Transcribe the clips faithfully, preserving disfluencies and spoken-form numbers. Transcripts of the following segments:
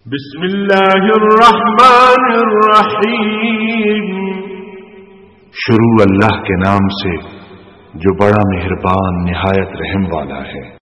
بسم اللہ الرحمن الرحیم۔ شروع اللہ کے نام سے جو بڑا مہربان نہایت رحم والا ہے۔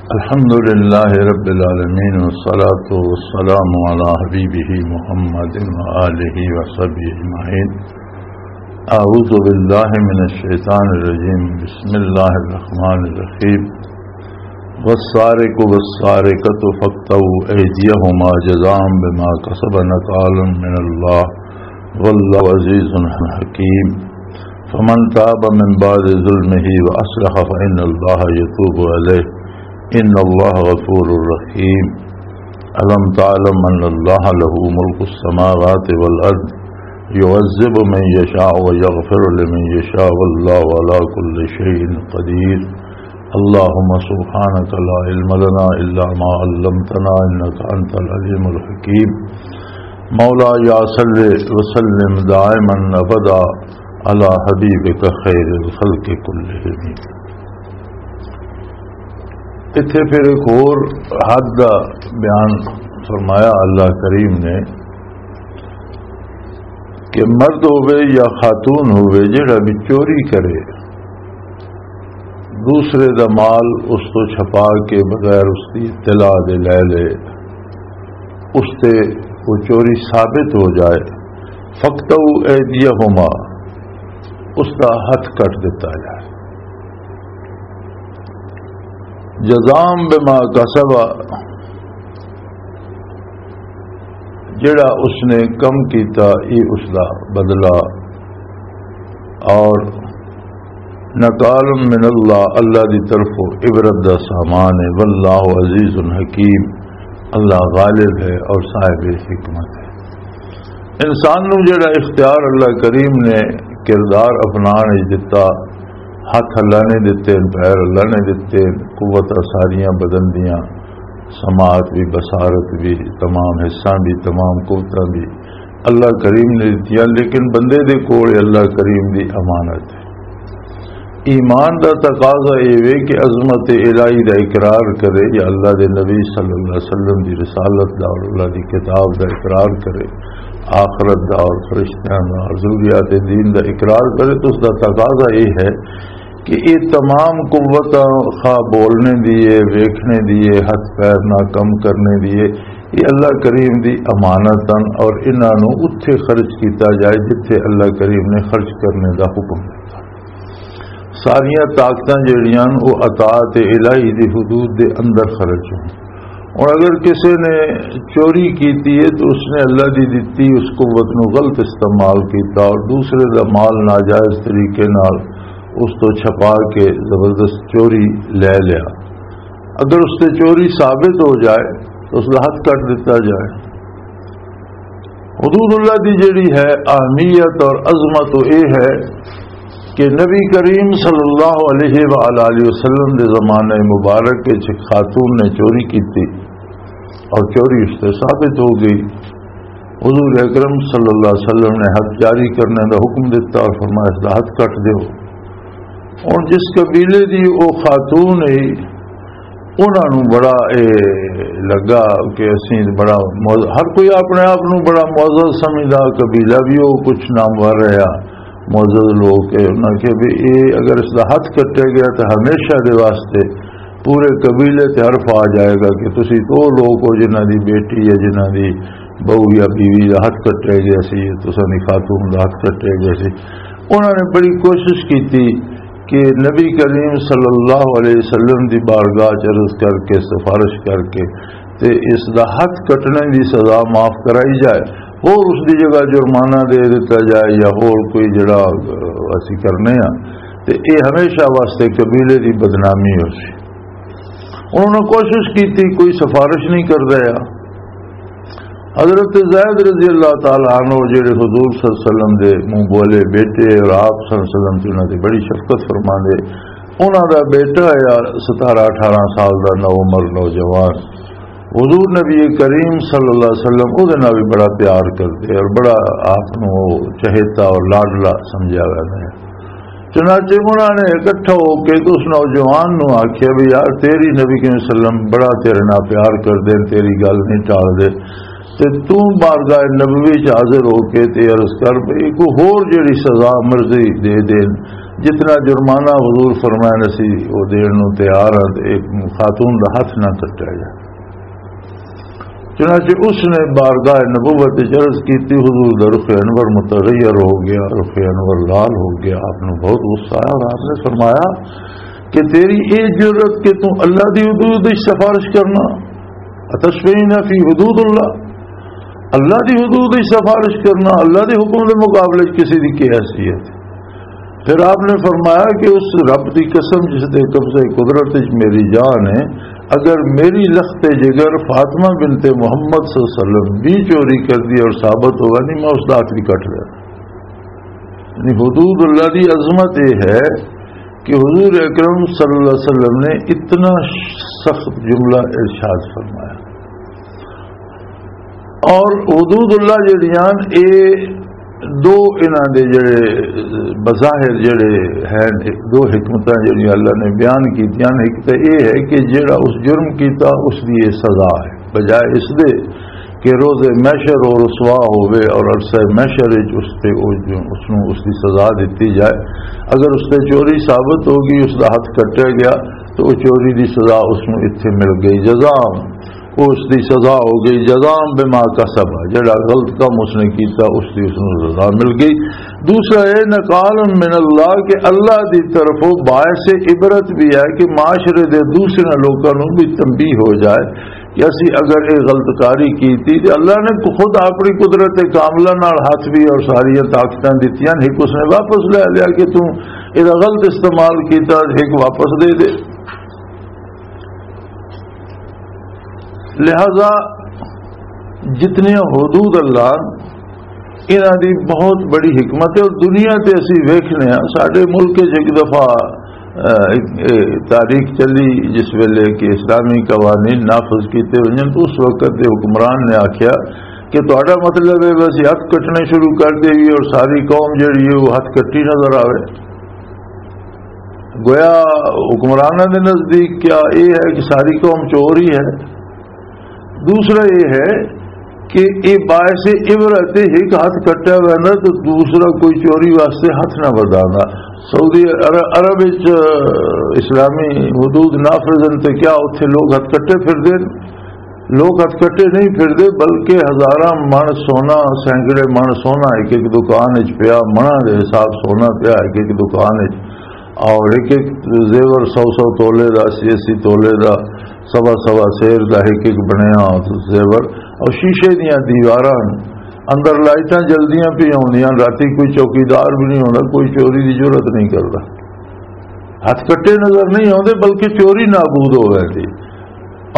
الحمد لله رب العالمين، والصلاة والسلام على حبيبه محمد وآله وصحبه أجمعين. أعوذ بالله من الشيطان الرجيم. بسم الله الرحمن الرحيم. والسارق والسارقة فاقطعوا أيديهما جزاء بما كسبا نكالا من الله والله عزيز حكيم. فمن تاب من بعد ظلمه وأصلح فإن الله يتوب عليه، إن الله غفور رحيم. ألم تعلم أن الله له ملك السماوات والأرض يعذب من يشاء ويغفر لمن يشاء والله على كل شيء قدير. اللهم سبحانك لا علم لنا إلا ما علمتنا إنك أنت العليم الحكيم. مولاي صل وسلم دائما أبدا على حبيبك خير الخلق كلهم. اتھے پھر ایک اور حد دا بیان فرمایا اللہ کریم نے کہ مرد ہوئے یا خاتون ہوئے، جڑا بھی چوری کرے، دوسرے دا مال اس تو چھپا کے بغیر اس دی اطلاع دے لے لے، اس تے وہ چوری ثابت ہو جائے، فَاقْطَعُوا أَيْدِيَهُمَا، اس دا ہتھ کٹ دتا جائے۔ جزام بما کسب، جڑا اس نے کم کیتا، یہ اس دا بدلہ۔ اور نکال من اللہ، اللہ دی طرفوں عبرت دا سامان ہے۔ واللہ عزیز حکیم، اللہ غالب ہے اور صاحب حکمت ہے۔ انسان نوں جڑا اختیار اللہ کریم نے کردار اپنان وچ دتا، ہتھ اللہ نے دتے، پیر اللہ نے دتے، قوتاں ساریاں بدن دیاں، سماعت بھی، بصارت بھی، تمام حصہ بھی، تمام قوتاں بھی اللہ کریم نے دتیاں، لیکن بندے دے کول اللہ کریم دی امانت ہے۔ ایمان دا تقاضا اے وے کہ عظمت الہی دا اقرار کرے یا اللہ دے نبی صلی اللہ علیہ وسلم دی رسالت دا اور اللہ دی کتاب دا اقرار کرے، آخرت دا اور فرشتیاں دا اور ضروریات دین دا اقرار کرے، تو اس دا تقاضا اے ہے کہ یہ تمام قوتاں، خواہ بولنے دی ہے، ویکھنے دی ہے، ہتھ پیر نہ کم کرنے دی ہے، یہ اللہ کریم دی امانت ہن اور انہاں نوں اتھے خرچ کیتا جائے جتھے اللہ کریم نے خرچ کرنے دا حکم دتا۔ ساریاں طاقتاں جڑیاں ہن، وہ اطاعت الہی دی حدود دے اندر خرچ ہون۔ اور اگر کسی نے چوری کیتی ہے تو اس نے اللہ دی دتی اس قوت نو غلط استعمال کیتا اور دوسرے دا مال ناجائز طریقے نال اس تو چھپا کے زبردست چوری لے لیا۔ اگر اس تے چوری ثابت ہو جائے تو اس دا ہتھ کٹ دتا جائے۔ حدود اللہ دی جڑی ہے اہمیت اور عظمت، وہ یہ ہے کہ نبی کریم صلی اللہ علیہ وآلہ وسلم دے زمانہ مبارک وچ ایک خاتون نے چوری کیتی اور چوری اس تے ثابت ہو گئی۔ حضور اکرم صلی اللہ علیہ وسلم نے حد جاری کرنے دا حکم دیتا اور فرمایا، اس دا حد کٹ دیو۔ اور جس قبیلے دی او خاتون ہے، انہاں نوں بڑا اے لگا کہ اسی بڑا معز-، ہر کوئی اپنے آپ نوں بڑا معزز سمجھدا، قبیلہ بھی وہ کچھ نامور رہا، معزز لوگ۔ کہ انہاں کہ بھی اے اگر اس دا ہتھ کٹے گیا تو ہمیشہ دے واسطے پورے قبیلے تے حرف آ جائے گا کہ تسی تو لوگ ہو جنہاں دی بیٹی یا جنہاں دی بہو یا بیوی دا ہتھ کٹے گیا سی، تساں دی خاتون دا ہتھ کٹے گیا سی۔ انہاں نے بڑی کوشش کیتی کہ نبی کریم صلی اللہ علیہ وسلم دی بارگاہ چ عرض کر کے، سفارش کر کے تے اس دا ہتھ کٹنے دی سزا معاف کرائی جائے، اور اس دی جگہ جرمانہ دے دتا جائے یا اور کوئی جڑا، اہ، اسی کرنے ہاں، تے اے ہمیشہ واسطے قبیلے دی بدنامی ہو سی۔ انہوں نے کوشش کی تھی، کوئی سفارش نہیں کردا۔ حضرت زید رضی اللہ تعالیٰ عنہ، جڑے حضور صلی اللہ علیہ وسلم دے منہ بولے بیٹے اور آپ صلی اللہ علیہ وسلم تے انہاں دی بڑی شفقت فرما دے، انہاں دا بیٹا ہے ستارہ اٹھارہ سال دا نو عمر نوجوان، حضور نبی کریم صلی اللہ علیہ وسلم او دے نال بھی بڑا پیار کردے اور بڑا آپ نوں چہیتا اور لاڈلا سمجھیا ویندا ہے۔ چنانچہ انہاں نے اکٹھا ہو کے تے اس نوجوان نوں آکھیا بھی، "یار، تیری نبی کریم صلی اللہ علیہ وسلم بڑا تیرے نال پیار کردے، تیری گل نہیں ٹالدے، تے توں بارگاہ نبوی چ حاضر ہو کے تے عرض کر بھی کوئی ہور جڑی سزا مرضی دے دین، جتنا جرمانہ حضور فرمائے نسی وہ دین نوں تیار ہاں، تے ایک خاتون دا ہاتھ نہ کٹیا جائے۔" چنانچہ اس نے بارگاہ نبوت وچ عرض کی تھی، حضور دا رخ انور متغیر ہو گیا، رخ انور لال ہو گیا، آپ نوں بہت غصہ آیا اور آپ نے فرمایا کہ تیری اے جرأت کہ توں اللہ دی حدود وچ سفارش کرنا، اتشفعین فی حدود اللہ، اللہ دی حدود وچ سفارش کرنا، اللہ دے حکم دے مقابلے وچ کسی دی کی حیثیت؟ پھر آپ نے فرمایا کہ اس رب دی قسم جس دے قبضہ قدرت وچ میری جان ہے، اگر میری لخت جگر فاطمہ بنت محمد صلی اللہ علیہ وسلم بھی چوری کر دی اور ثابت ہوگا نہیں، میں اس دا ہاتھ بھی کٹ لینا۔ یعنی حدود اللہ دی عظمت یہ ہے کہ حضور اکرم صلی اللہ علیہ وسلم نے اتنا سخت جملہ ارشاد فرمایا۔ اور حدود اللہ جڑیاں، اے دو انہاں دے جڑے بظاہر جڑے ہیں، دو حکمتاں جڑیاں اللہ نے بیان کیتیاں، ایک تے اے ہے کہ جڑا اس جرم کیتا اس دی یہ سزا ہے، بجائے اس دے کہ روز محشر اور رسوا ہوئے اور عرصہ محشر وچ اس تے او جو اس نوں اس دی سزا دتی جائے۔ اگر اس تے چوری ثابت ہو گئی، اس دا ہاتھ کٹیا گیا، تو وہ چوری دی سزا اس نوں اتھے مل گئی، جزا، وہ اس دی سزا ہو گئی، جزا بما کسب، جڑا غلط کم اس نے کیتا، اس دی اس نوں سزا مل گئی۔ دوسرا یہ نقال من اللہ، کہ اللہ دی طرفوں باعث عبرت بھی ہے کہ معاشرے دے دوسرے لوکاں نوں بھی تنبیہ ہو جائے کہ اسی اگر یہ غلط کاری کیتی تے اللہ نے خود اپنی قدرت کاملہ نال ہاتھ بھی اور ساری طاقتاں دتیاں، ایک اس نے واپس لے لیا کہ توں یہ غلط استعمال کیتا، ایک واپس دے دے۔ لہذا جتنی حدود اللہ، انہاں دی بہت بڑی حکمت ہے۔ اور دنیا تے اسی ویکھنے ہاں، ساڈے ملک وچ ایک دفعہ، اہ، ایک، اہ، تاریخ چلی جس ویلے کہ اسلامی قوانین نافذ کیتے ونجن، تو اس وقت دے حکمران نے آکھیا کہ تہاڈا مطلب ہے بس ہتھ کٹنے شروع کر دیئے اور ساری قوم جڑی ہے وہ ہتھ کٹی نظر آوے۔ گویا حکمراناں دے نزدیک کیا یہ ہے کہ ساری قوم چور ہی ہے؟ دوسرا یہ ہے کہ یہ باعث عبرت ہے، ایک ہاتھ کٹیا ہوا ہے تو دوسرا کوئی چوری واسطے ہاتھ نہ ودھانا۔ سعودی عر-، عرب وچ اسلامی حدود نافذ ہیں تے کیا اتھے لوگ ہاتھ کٹے پھر دے؟ لوگ ہتھ کٹے نہیں پھردے، بلکہ ہزاراں مݨ سونا، سینکڑے مݨ سونا ایک ایک دکان وچ پیا، مݨاں دے حساب سونا پیا ایک ایک دکان وچ، اور ایک ایک زیور سو سو تولے دا، اسی اسی تولے دا، سوا سوا سیر دا ایک ایک بنیا زیور، اور شیشے دیاں دیواراں، اندر لائٹاں جلدیاں پی ہوندیاں، راتی کوئی چوکیدار بھی نہیں ہوندا، کوئی چوری دی جرات نہیں کردا۔ ہتھ کٹے نظر نہیں آوندے، بلکہ چوری نابود ہو ویندی۔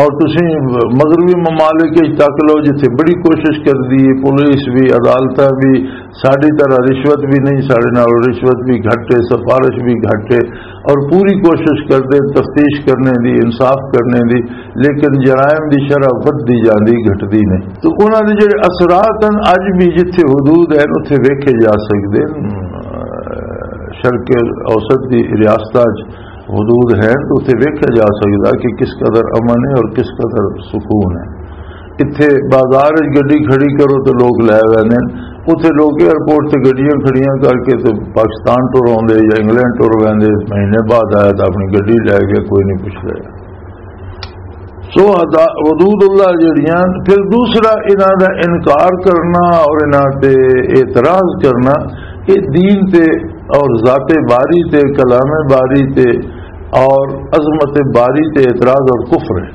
اور تسی مغربی ممالک وچ تک لو، جتھے بڑی کوشش کردی ہے پولیس بھی، عدالتاں بھی، ساڈی طرح رشوت بھی نہیں، ساڈے نال رشوت بھی گھٹ ہے، سفارش بھی گھٹ ہے، اور پوری کوشش کردے تفتیش کرنے دی، انصاف کرنے دی، لیکن جرائم دی شرح ودھدی جاندی، گھٹدی نہیں۔ تو انہاں دے جڑے اثرات ہیں، اج بھی جتھے حدود ہیں، اتھے ویکھے جا سکدے ہیں۔ شرق اوسط دی ریاستاں وچ حدود ہیں تو اتھے ویکھیا جا سکدا کہ کس قدر امن ہے اور کس قدر سکون ہے۔ اتھے بازار وچ گڈی کھڑی کرو تو لوگ لے ویندے نے، اتھے لوگ ایئرپورٹ تے گڈیاں کھڑیاں کر کے تے پاکستان ٹر آوندے یا انگلینڈ ٹر ویندے، مہینے بعد آیا تو اپنی گڈی لے گیا، کوئی نہیں پوچھدا۔ سو حدا-، حدود اللہ جڑیاں، پھر دوسرا انہاں دا انکار کرنا اور انہاں تے اعتراض کرنا، یہ دین تے اور ذات باری تے، کلام باری تے اور عظمت باری تے اعتراض اور کفر ہے۔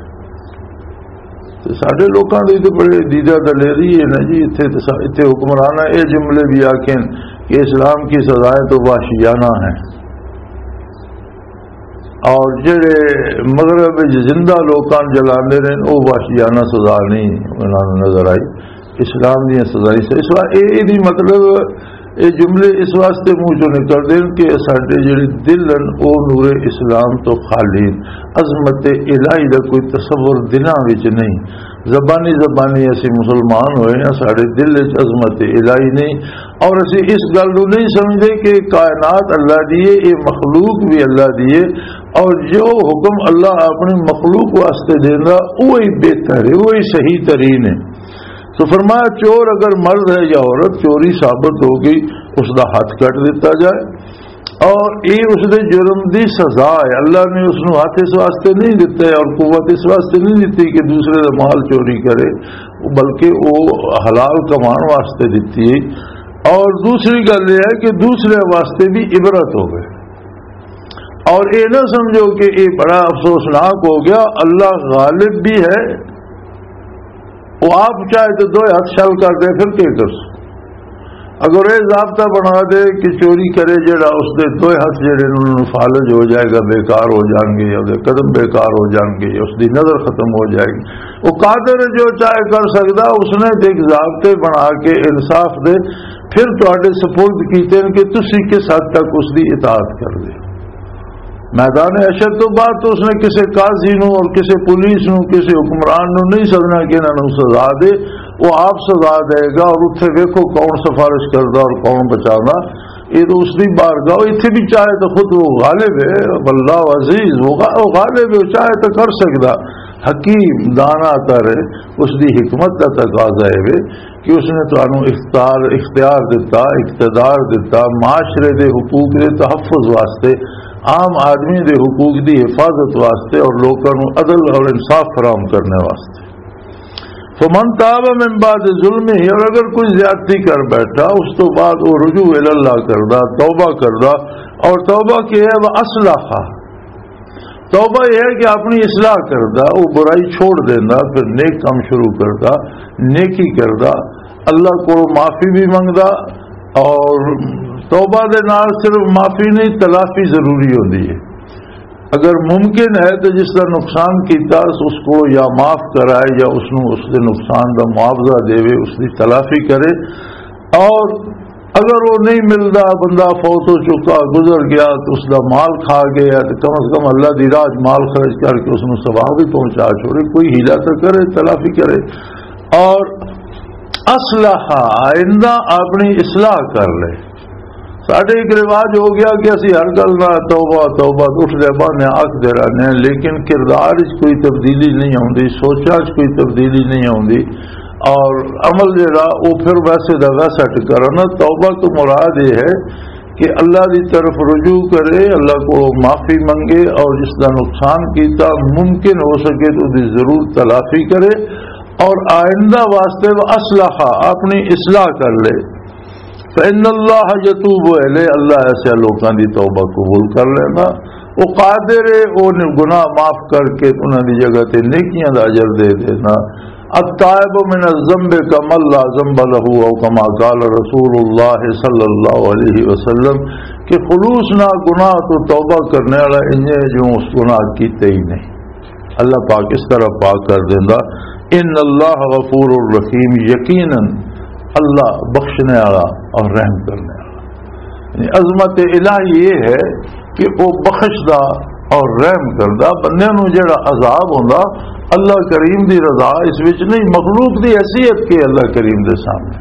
تے ساڈے لوکاں دے تے بڑے دیدہ دلیری ہے نا جی، اتھے تے سا-، اتھے حکمراناں اے جملے بھی آکھن کہ اسلام کی سزائیں تو وحشیانہ ہیں۔ اور جڑے مغرب وچ زندہ لوکاں نوں جلاندے نے، او وحشیانہ سزا نہیں انہاں نوں نظر آئی، اسلام دیاں سزائیں سے۔ اس واسطے اے، اے دی مطلب یہ جملے اس واسطے منہ چوں نکلدے ہن کہ ساڈے جڑے دل ہن، او نور اسلام تو خالی ہن۔ عظمت الہی دا کوئی تصور دلاں وچ نہیں۔ زبانی زبانی اسی مسلمان ہوئے ہیں، ساڈے دل وچ عظمت الہی نہیں، اور اسی اس گل نوں نہیں سمجھدے کہ کائنات اللہ دی ہے، یہ مخلوق بھی اللہ دی ہے، اور جو حکم اللہ اپنی مخلوق واسطے دیندا، وہی بہتر ہے، وہی صحیح ترین ہے۔ تو فرمایا، چور اگر مرد ہے یا عورت، چوری ثابت ہو گئی، اس دا ہاتھ کٹ دیتا جائے، اور یہ اس دے جرم دی سزا ہے۔ اللہ نے اس نوں ہاتھ اس واسطے نہیں دتا ہے اور قوت اس واسطے نہیں دتی کہ دوسرے دا مال چوری کرے، بلکہ وہ حلال کمان واسطے دتی ہے۔ اور دوسری گل یہ ہے کہ دوسرے واسطے بھی عبرت ہوئے، اور یہ نہ سمجھو کہ یہ بڑا افسوسناک ہو گیا۔ اللہ غالب بھی ہے، وہ آپ چاہے تو دوئے ہاتھ شل کر دے، پھر کیا کر سو؟ اگر یہ ضابطہ بنا دے کہ چوری کرے جڑا، اس دے دوئے ہاتھ جڑے نے، انہوں فالج ہو جائے گا، بیکار ہو جان گے، یا اس دے قدم بیکار ہو جان گے، یا اس دی نظر ختم ہو جائے گی۔ وہ قادر ہے، جو چاہے کر سکدا، اس نے ایک ضابطے بنا کے انصاف دے پھر تواڈے سپرد کیتے ہیں کہ تسی کس حد تک اس دی اطاعت کر دے۔ میدان حشر تو بعد تو اس نے کسی قاضی نو اور کسی پولیس نو، کسی حکمران نو نہیں سدنا کہ انہاں نو سزا دے، وہ آپ سزا دے گا۔ اور اتھے ویکھو کون سفارش کردا اور کون بچاندا۔ یہ تو اس دی بارگاہ، اتھے بھی چاہے تو خود وہ غالب ہے، واللہ عزیز، وہ غا-، وہ غالب ہے، وہ چاہے تو کر سکدا۔ حکیم، دانا تر ہے، اس دی حکمت دا تقاضا ہے وے کہ اس نے تانوں اختیار، اختیار دتا، اقتدار دتا، معاشرے دے حقوق دے تحفظ واسطے، عام آدمی دے حقوق دی حفاظت واسطے اور لوکاں نوں عدل اور انصاف فراہم کرنے واسطے۔ فمن تاب من بعد ظلمہ، اور اگر کوئی زیادتی کر بیٹھا، اس تو بعد وہ رجوع الی اللہ کردا، توبہ کردا، اور توبہ کی ہے، وہ اصلاح، توبہ یہ ہے کہ اپنی اصلاح کردا، وہ برائی چھوڑ دیندا، پھر نیک کام شروع کردا، نیکی کردا، اللہ کو معافی بھی منگدا۔ اور توبہ دے نال صرف معافی نہیں، تلافی ضروری ہوندی ہے۔ اگر ممکن ہے تو جس دا نقصان کیتا، اس کو یا معاف کرائے یا اس نو اس دے نقصان دا معاوضہ دے، اس دی تلافی کرے۔ اور اگر وہ نہیں ملدا، بندہ فوت ہو چکا، گزر گیا، تو اس دا مال کھا گیا، تو کم از کم اللہ دی راہ وچ مال خرچ کر کے اس نوں ثواب بھی پہنچا چھوڑے، کوئی حیلہ تو کرے، تلافی کرے۔ اور اصلح، آئندہ اپنی اصلاح کر لے۔ ساڈے ایک رواج ہو گیا کہ اسی ہر گل نال توبہ، توبہ، اٹھ دے بہانے آکھ دے رہنے ہیں، لیکن کردار وچ کوئی تبدیلی نہیں آوندی، سوچاں وچ کوئی تبدیلی نہیں آوندی، اور عمل جڑا، وہ پھر ویسے دا ویسا ٹکا رہنا۔ توبہ تو مراد یہ ہے کہ اللہ دی طرف رجوع کرے، اللہ کو معافی منگے، اور جس دا نقصان کیتا، ممکن ہو سکے تو دی ضرور تلافی کرے، اور آئندہ واسطے وہ اصلاح، اپنی اصلاح کر لے۔ فإن اللہ یتوب الیہ، اللہ ایسے لوکاں دی توبہ قبول کر لینا۔ وہ قادر ہے، وہ گناہ معاف کر کے انہاں دی جگہ تے نیکیاں دا اجر دے دینا۔ التائب من الذنب کمن لا ذنب له، او کما قال رسول اللہ صلی اللہ علیہ وسلم، کہ خلوص نہ گناہ تو توبہ کرنے والا انجے جو اس گناہ کیتے ہی نہیں۔ اللہ پاک اس طرح پاک کر دیندا۔ ان اللہ غفور الرحیم، یقیناً اللہ بخشنے والا اور رحم کرنے والا۔ یعنی عظمت الہی یہ ہے کہ وہ بخشدا اور رحم کردا۔ بندے نوں جڑا عذاب ہوندا، اللہ کریم دی رضا اس وچ نہیں، مخلوق دی حیثیت کے اللہ کریم دے سامنے۔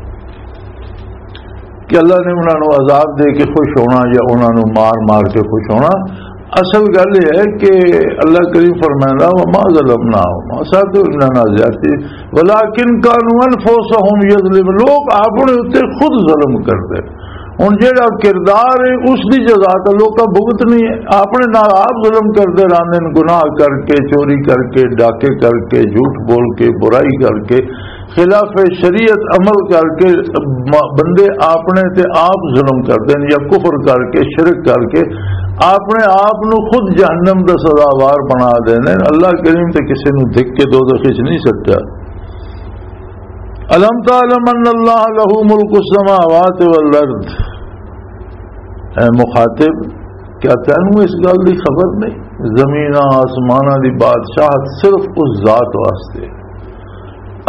کہ اللہ نے انہاں نوں عذاب دے کے خوش ہونا یا انہاں نوں مار مار کے خوش ہونا۔ اصل گل یہ ہے کہ اللہ کریم فرمائندا، "وما ظلمناہم"، اساں تے انہاں نال زیادتی، "ولکن کانوا انفسہم یظلمون"، لوگ اپنے اُتے خود ظلم کردے۔ ہن جیڑا کردار ہے، اس دی جزا تے لوکاں بھگتنی ہے۔ اپنے نال آپ ظلم کردے رہندے نے، گناہ کر کے، چوری کر کے، ڈاکے کر کے، جھوٹ بول کے، برائی کر کے، خلاف شریعت عمل کر کے م-، بندے اپنے تے آپ ظلم کردے نے یا کفر کر کے، شرک کر کے اپنے آپ نو خود جہنم دا سزاوار بنا دیندے نے۔ اللہ کریم تے کسے نو دھک کے دوزخ وچ نہیں سٹیا۔ الم تعلم ان اللہ لہ ملک السماوات والارض، اے مخاطب، کیا تینوں اس گل دی خبر نہیں؟ زمیناں آسماناں دی بادشاہت صرف اس ذات واسطے ہے۔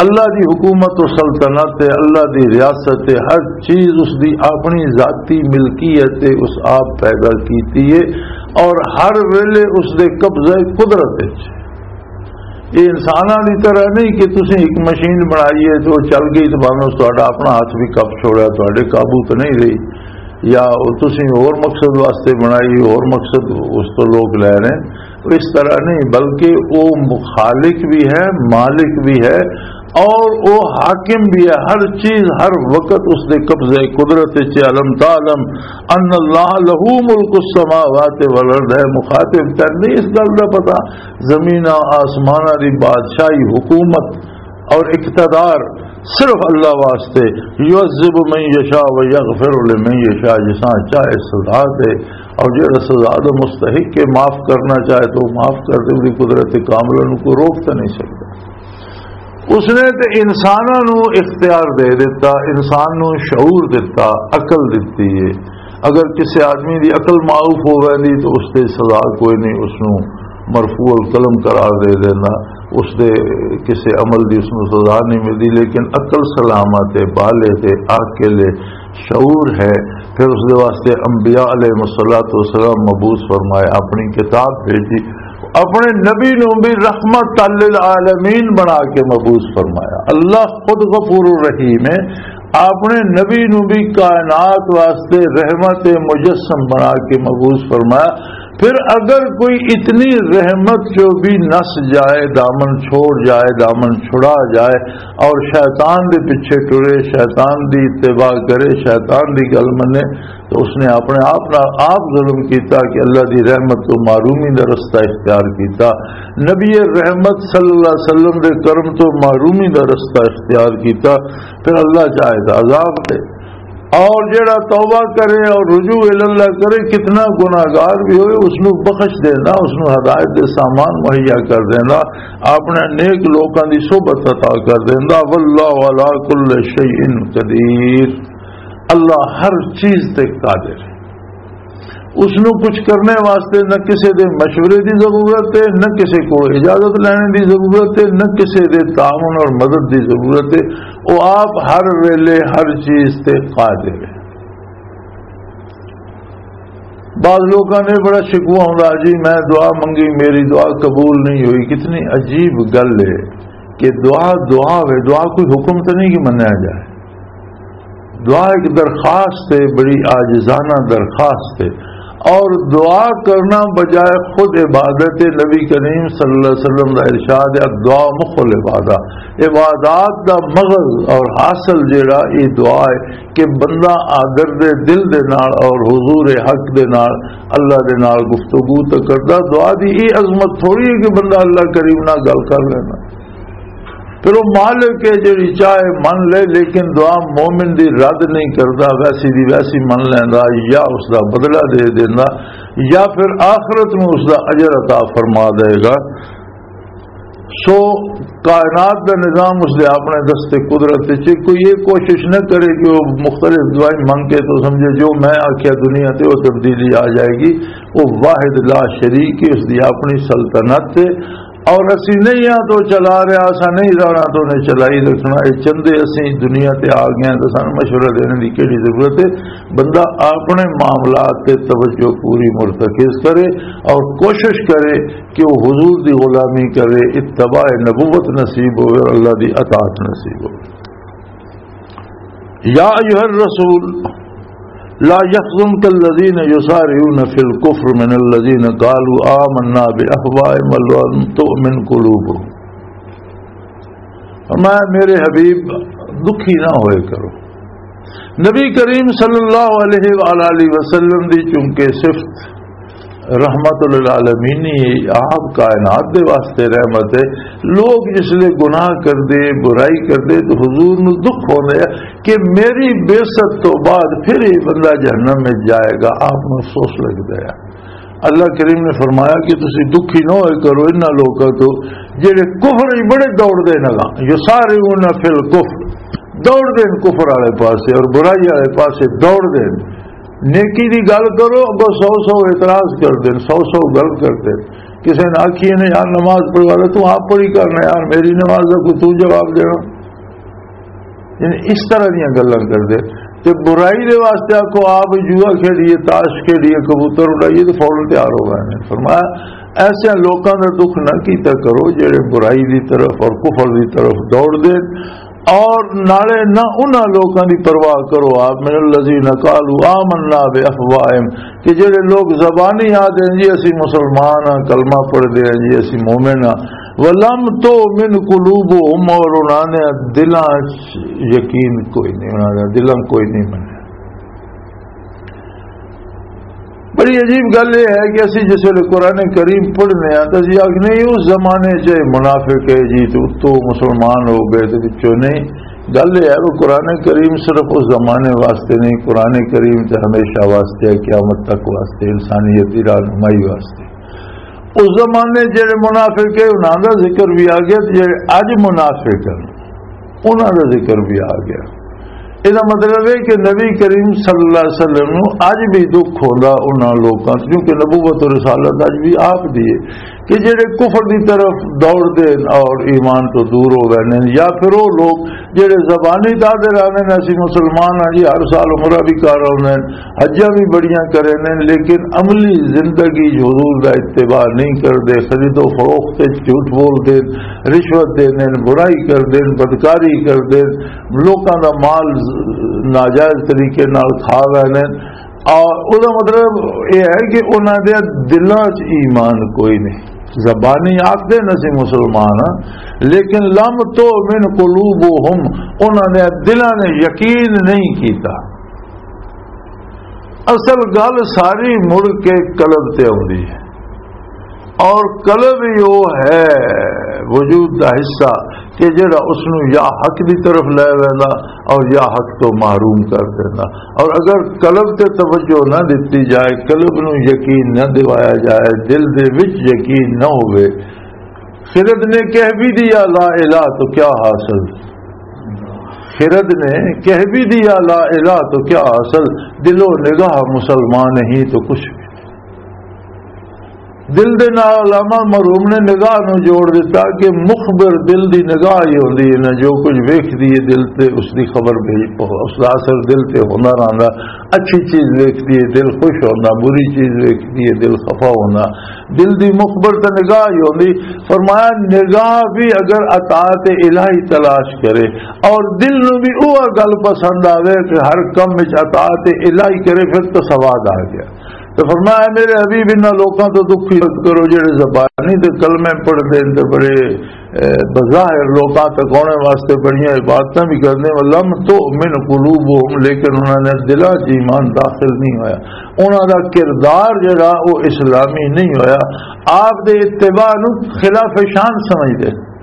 اللہ دی حکومت و سلطنت ہے، اللہ دی ریاست ہے، ہر چیز اس دی اپنی ذاتی ملکیت ہے، اس آپ پیدا کیتی ہے اور ہر ویلے اس دے قبضہ قدرت وچ۔ یہ انساناں دی طرح نہیں کہ تسی ایک مشین بنائی ہے تو چل گئی تو بھاویں اس تہاڈا اپنا ہاتھ بھی کپ چھوڑا، تہاڈے قابو تو نہیں رہی، یا تسی ہور مقصد واسطے بنائی، ہور مقصد اس تو لوگ لے رہے ہیں۔ تو اس طرح نہیں، بلکہ وہ خالق بھی ہے، مالک بھی ہے، اور وہ حاکم بھی ہے۔ ہر چیز ہر وقت اس دے قبضے قدرت وچ ہے۔ الم تعلم ان اللہ لہ ملک السماوات والارض، ہے مخاطب، تینوں نہیں اس گل دا پتا؟ زمین آسماناں دی بادشاہی حکومت اور اقتدار صرف اللہ واسطے۔ یعذب من یشاء و یغفر لمن یشاء، جساں چاہے سزا دے، اور جڑا سزا دا مستحق ہے معاف کرنا چاہے تو معاف کر دے، اس دی قدرت کاملہ نوں کوئی روک تے نہیں سکدا۔ اس نے تے انساناں نوں اختیار دے دتا، انسان نوں شعور دتا، عقل دتی ہے۔ اگر کسی آدمی دی عقل معروف ہو ویندی تو اس تے سزا کوئی نہیں، اس نوں مرفوع القلم قرار دے دینا، اس دے کسی عمل دی اس نوں سزا نہیں ملدی۔ لیکن عقل سلامت ہے، بالغ ہے، عاقل ہے، شعور ہے، پھر اس دے واسطے انبیاء علیہ الصلوۃ والسلام مبعوث فرمائے، اپنی کتاب بھیجی، اپنے نبی نوں بھی رحمت للعالمین بنا کے مبعوث فرمایا۔ اللہ خود غفور الرحیم ہے، اپنے نبی نوں بھی کائنات واسطے رحمت مجسم بنا کے مبعوث فرمایا۔ پھر اگر کوئی اتنی رحمت جو بھی نس جائے، دامن چھوڑ جائے، دامن چھڑا جائے اور شیطان دے پیچھے ٹرے، شیطان دی اتباع کرے، شیطان دی گل منے، تو اس نے اپنے آپ نال آپ ظلم کیتا کہ اللہ دی رحمت تو محرومی دا رستہ اختیار کیتا، نبی رحمت صلی اللہ علیہ وسلم دے کرم تو محرومی دا رستہ اختیار کیتا۔ پھر اللہ چاہے تو عذاب دے، اور جڑا توبہ کرے اور رجوع اللہ کرے، کتنا گناہگار بھی ہوئے، اس نو بخش دینا، اس نو ہدایت دے سامان مہیا کر دینا، اپنے نیک لوکاں دی صحبت عطا کر دینا۔ واللہ علی کل شیء قدیر، اللہ ہر چیز تے قادر ہے۔ اس نو کچھ کرنے واسطے نہ کسے دے مشورے دی ضرورت ہے، نہ کسے کو اجازت لینے دی ضرورت ہے، نہ کسے دے تعاون اور مدد دی ضرورت ہے۔ وہ آپ ہر ویلے ہر چیز تے قادر ہے۔ بعض لوکاں نے بڑا شکوہ ہوندا، "جی میں دعا منگی، میری دعا قبول نہیں ہوئی۔" کتنی عجیب گل ہے کہ دعا دعا ہوئے، دعا کوئی حکم تو نہیں کہ منیا جائے۔ دعا ایک درخواست ہے، بڑی عاجزانہ درخواست ہے، اور دعا کرنا بجائے خود عبادت ہے۔ نبی کریم صلی اللہ علیہ وسلم کا ارشاد ہے، "الدعاء مخ العبادہ۔" عبادات دا مغز اور حاصل جیڑا، یہ دعا ہے کہ بندہ آدر دے دل دے نال اور حضور حق دے نال، اللہ دے نال گفتگو تے کردا۔ دعا دی یہ عظمت تھوڑی ہے کہ بندہ اللہ کریم نال گل کر لینا۔ پھر وہ مالک ہے جڑی چاہے من لے، لیکن دعا مومن دی رد نہیں کردا، ویسی دی ویسی من لیندا، یا اس دا بدلہ دے دیندا، یا پھر آخرت میں اس دا اجر عطا فرما دے گا۔ سو کائنات دا نظام اس دے اپنے دست قدرت وچ ہے۔ کوئی یہ کوشش نہ کرے کہ وہ مختلف دعائیں منگ کے تو سمجھے جو میں آکھیا دنیا تے وہ تبدیلی آ جائے گی۔ وہ واحد لا شریک ہے، اس دی اپنی سلطنت ہے، اور اسی نہیں ہاں تو چلا رہا، اساں نہیں رہنا تو انہیں چلائی رکھنا۔ یہ چندے اسی دنیا تے آ گئے ہیں تو سانو مشورہ دینے دی کیڑی ضرورت ہے؟ بندہ اپنے معاملات تے توجہ پوری مرتکز کرے اور کوشش کرے کہ وہ حضور دی غلامی کرے، اتباع نبوت نصیب ہوئے اور اللہ دی اطاعت نصیب ہوئے۔ یا ایھا الرسول لا یحزنک الذین یسارعون فی الکفر من الذین قالوا آمنا بافواہہم ولم تؤمن قلوبہم۔ فرمایا، میرے حبیب، دکھی نہ ہوئے کرو۔ نبی کریم صلی اللہ علیہ وآلہ وسلم دی چونکہ صفت رحمت للعالمین ہی، آپ کائنات دے واسطے رحمت ہے۔ لوگ جس لے گناہ کردے، برائی کردے، تو حضور نو دکھ ہوندے ہے کہ میری بعثت تو بعد پھر یہ بندہ جہنم میں جائے گا، آپ نو افسوس لگدا ہے۔ اللہ کریم نے فرمایا کہ تسی دکھی نہ ہوئے کرو انہاں لوکاں تو جڑے کفر ہی بڑے دوڑ دے نال، یسارعون فی الکفر، دوڑ دے کفر والے پاسے اور برائی والے پاسے دوڑ دے۔ نیکی دی گل کرو، اگوں سو سو اعتراض کر دین، سو سو گل کر دین۔ کسی نے آکھیے نے، "یار، نماز پڑھوا لے، تو آپ پڑھی کرنا یار، میری نماز دا کوئی تو جواب دینا۔" یعنی اس طرح دیاں گلاں کردے۔ تے برائی دے واسطے آکھو، آپ جوا کھیڈیے، تاش کھیڈیے، کبوتر اڈائیے، تو فوراً تیار ہو گئے نے۔ فرمایا، ایسے لوکاں دا دکھ نہ کیتا کرو جڑے برائی دی طرف اور کفر دی طرف دوڑ دے، اور نالے نہ انہاں لوکاں دی پرواہ کرو۔ آپ من الذین قالوا آمنا بافواہہم، کہ جڑے لوگ زبانی آدھے ہیں، "جی، اسی مسلمان ہاں، کلمہ پڑھدے ہیں، جی، اسی مومن ہاں۔" "ولم تؤمن قلوبہم"، اور انہاں نے دلاں چ یقین کوئی نہیں، انہاں نے دلاں کوئی نہیں منیا۔ بڑی عجیب گل یہ ہے کہ اسی جس ویلے قرآن کریم پڑھنے ہاں تو اسی آخنے، "اس زمانے چ یہ منافق ہے جی، تو اتوں مسلمان ہو گئے، تو پچھوں نہیں۔" گل یہ ہے، وہ قرآن کریم صرف اس زمانے واسطے نہیں، قرآن کریم تے ہمیشہ واسطے ہے، قیامت تک واسطے، انسانیت دی رہنمائی واسطے۔ اس زمانے جڑے منافق ہے، انہاں دا ذکر بھی آ گیا، تے جڑے اج منافق ہیں، انہاں دا ذکر بھی آ گیا۔ اس دا مطلب ہے کہ نبی کریم صلی اللہ علیہ وسلم نو اج بھی دکھ ہوندا انہاں لوکاں تے، کیونکہ نبوت و رسالت اج بھی آپ دی ہے۔ کہ جڑے کفر دی طرف دوڑ دے اور ایمان تو دور ہو گئے نے، یا پھر وہ لوگ جڑے زبانی دعوے لانے نے، "اسی مسلمان ہاں جی، ہر سال عمرہ بھی کر آؤندے ہیں، حجاں بھی بڑیاں کرے نے، لیکن عملی زندگی چ حضور دا اتباع نہیں کردے، خرید و فروخت وچ جھوٹ بول دے، رشوت دے نے، برائی کر دے، بدکاری کر دے، لوکاں دا مال ناجائز طریقے نال کھا گئے نے۔" اور او دا مطلب یہ ہے کہ انہاں دے دلاں چ ایمان کوئی نہیں۔ زبانی آکھدے نے اسی مسلمان ہاں، لیکن لم تؤمن قلوبہم، انہاں نے دلاں نے یقین نہیں کیتا۔ اصل گل ساری مڑ کے قلب تے آؤندی ہے۔ اور قلب ہی وہ ہے، وجود دا حصہ، کہ جڑا اس نو یا حق دی طرف لے ویندا اور یا حق تو محروم کر دیندا۔ اور اگر قلب تے توجہ نہ دتی جائے، قلب نو یقین نہ دوایا جائے، دل دے وچ یقین نہ ہوئے، خرد نے کہہ بھی دیا لا الہ تو کیا حاصل، خرد نے کہہ بھی دیا لا الہ تو کیا حاصل، دل و نگاہ مسلمان ہی تو کچھ بھی۔ دل دے نال علامہ مرحوم نے نگاہ نوں جوڑ دتا کہ مخبر دل دی نگاہ ہی ہوندی ہے نا، جو کچھ ویکھدی ہے دل تے اس دی خبر بھیج، اس دا اثر دل تے ہوندا رہندا۔ اچھی چیز ویکھدی ہے دل خوش ہوندا، بری چیز ویکھدی ہے دل خفا ہوندا۔ دل دی مخبر تے نگاہ ہی ہوندی۔ فرمایا نگاہ بھی اگر اطاعت الہی تلاش کرے اور دل نوں بھی وہ گل پسند آوے کہ ہر کم وچ اطاعت الہی کرے، پھر تو سواد آ گیا۔ تو فرمایا، "میرے حبیب، انہاں لوکاں تو دکھی مت کرو جڑے زبانی تے کلمے پڑھ دین تے بڑے، اے، بظاہر لوکاں تک آنے واسطے بڑیاں عبادتاں بھی کرنے، ولم تؤمن قلوبہم، لیکن انہاں نے دلاں چ ایمان داخل نہیں ہویا، انہاں دا کردار جڑا وہ اسلامی نہیں ہویا۔" آپ دے اتباع نو خلاف شان سمجھدے۔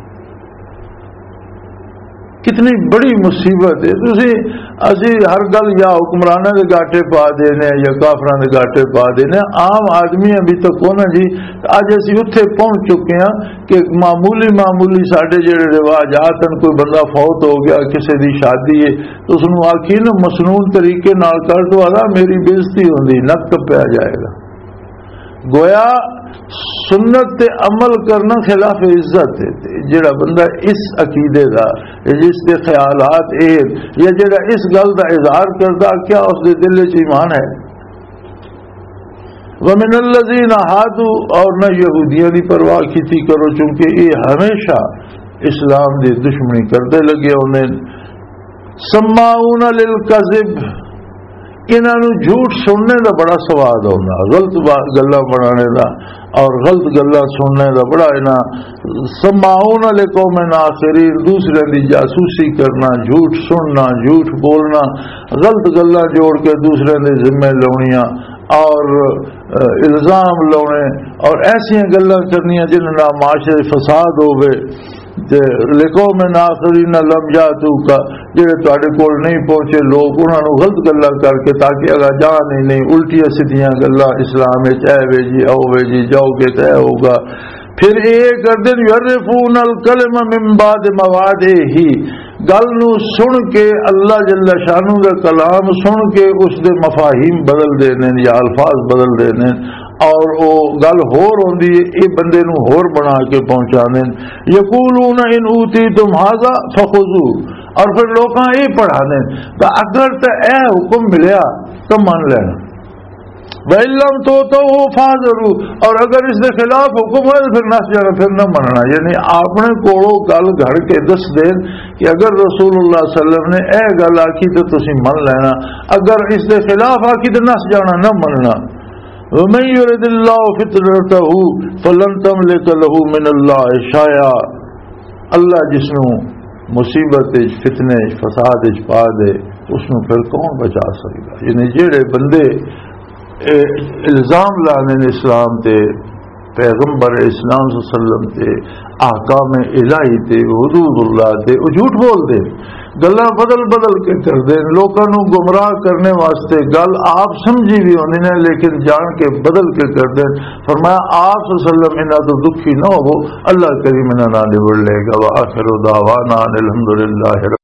کتنی بڑی مصیبت ہے۔ تسی، اسی ہر گل یا حکمراناں دے گاٹے پا دینے یا کافراں دے گاٹے پا دینے، عام آدمی ابھی تک کونا جی۔ اج اسی اتھے پہنچ چکے ہاں کہ معمولی معمولی ساڈے جڑے رواجات ہیں، کوئی بندہ فوت ہو گیا، کسے دی شادی ہے، تو اس نوں آکھیے نا مسنون طریقے نال کر، تو آدھا میری بےعزتی ہوندی، نک کپیا جائے گا۔ گویا سنت تے عمل کرنا خلاف عزت ہے۔ تے جڑا بندہ اس عقیدے دا، جس دے خیالات اے، یا جڑا اس گل دا اظہار کردا، کیا اس دے دل وچ ایمان ہے؟ وَمِنَ الَّذِينَ هَادُوا، اور نہ یہودیاں دی پرواہ کیتی کرو، چونکہ یہ ہمیشہ اسلام دی دشمنی کردے لگے ہوندے۔ سماعون للکذب، انہاں نوں جھوٹ سننے دا بڑا سواد ہوندا، غلط با-، گلاں بنانے دا اور غلط گلاں سننے دا بڑا انہاں۔ سماعون لقوم آخرین، دوسرے دی جاسوسی کرنا، جھوٹ سننا، جھوٹ بولنا، غلط گلاں جوڑ کے دوسرے دے ذمے لاؤنیاں اور، اہ، الزام لاؤنے اور ایسیاں گلاں کرنیاں جنہاں نال معاشرے فساد ہووے۔ تے لقوم آخرین لم یاتوک، جڑے تواڈے کول نہیں پہنچے لوگ، انہاں نوں غلط گلاں کر کے تاکہ اگا جان ہی نہیں، الٹیاں سیدھیاں گلاں اسلام وچ، اے وے جی، او وے جی، جاؤ گے تے اے ہوگا۔ پھر یہ کردے نے، یحرفون الکلم من بعد مواضعہ، گل نوں سن کے، اللہ جل شانہ دا کلام سن کے اس دے مفاہیم بدل دے نے یا الفاظ بدل دے نے۔ اور وہ گل ہور ہوندی ہے، یہ بندے نو ہور بنا کے پہنچا دین۔ یقولون ان اوتیتم ھذا فخذوہ، اور پھر لوکاں یہ پڑھا دین، تو اگر تے اے حکم ملیا تو من لینا، وَإِن لَّمْ تُؤْتَوْهُ فَاحْذَرُوا، اور اگر اس دے خلاف حکم ہوئے تو پھر نس جانا، پھر نہ مننا۔ یعنی اپنے کولوں گل گھڑ کے دس دین کہ اگر رسول اللہ صلی اللہ علیہ وسلم نے اے گل آکھی تو تسی من لینا، اگر اس دے خلاف آکھی تو نس جانا، نہ مننا۔ وَمَن يُرِدِ اللَّهُ فِتْنَتَهُ فَلَن تَمْلِكَ لَهُ مِنَ اللَّهِ شَيْئًا۔ اللہ جس نو مصیبت وچ، فتنے وچ، فساد وچ پا دے، اس نو پھر کون بچا سکدا؟ یعنی جڑے بندے، اے، الزام لانے نے اسلام تے، پیغمبر اسلام صلی اللہ علیہ وسلم تے، احکام الہی تے، حدود اللہ تے، وہ جھوٹ بول دے، گلاں بدل بدل کے کر دے، لوکاں نو گمراہ کرنے واسطے گل آپ سمجھی بھی ہوندی نے، لیکن جان کے بدل کے کر دے۔ فرمایا، آپ صلی اللہ علیہ وسلم انہاں تو دکھی نہ ہو، اللہ کریم انہاں نال نبڑ لے گا۔ وآخر دعوانا ان الحمدللہ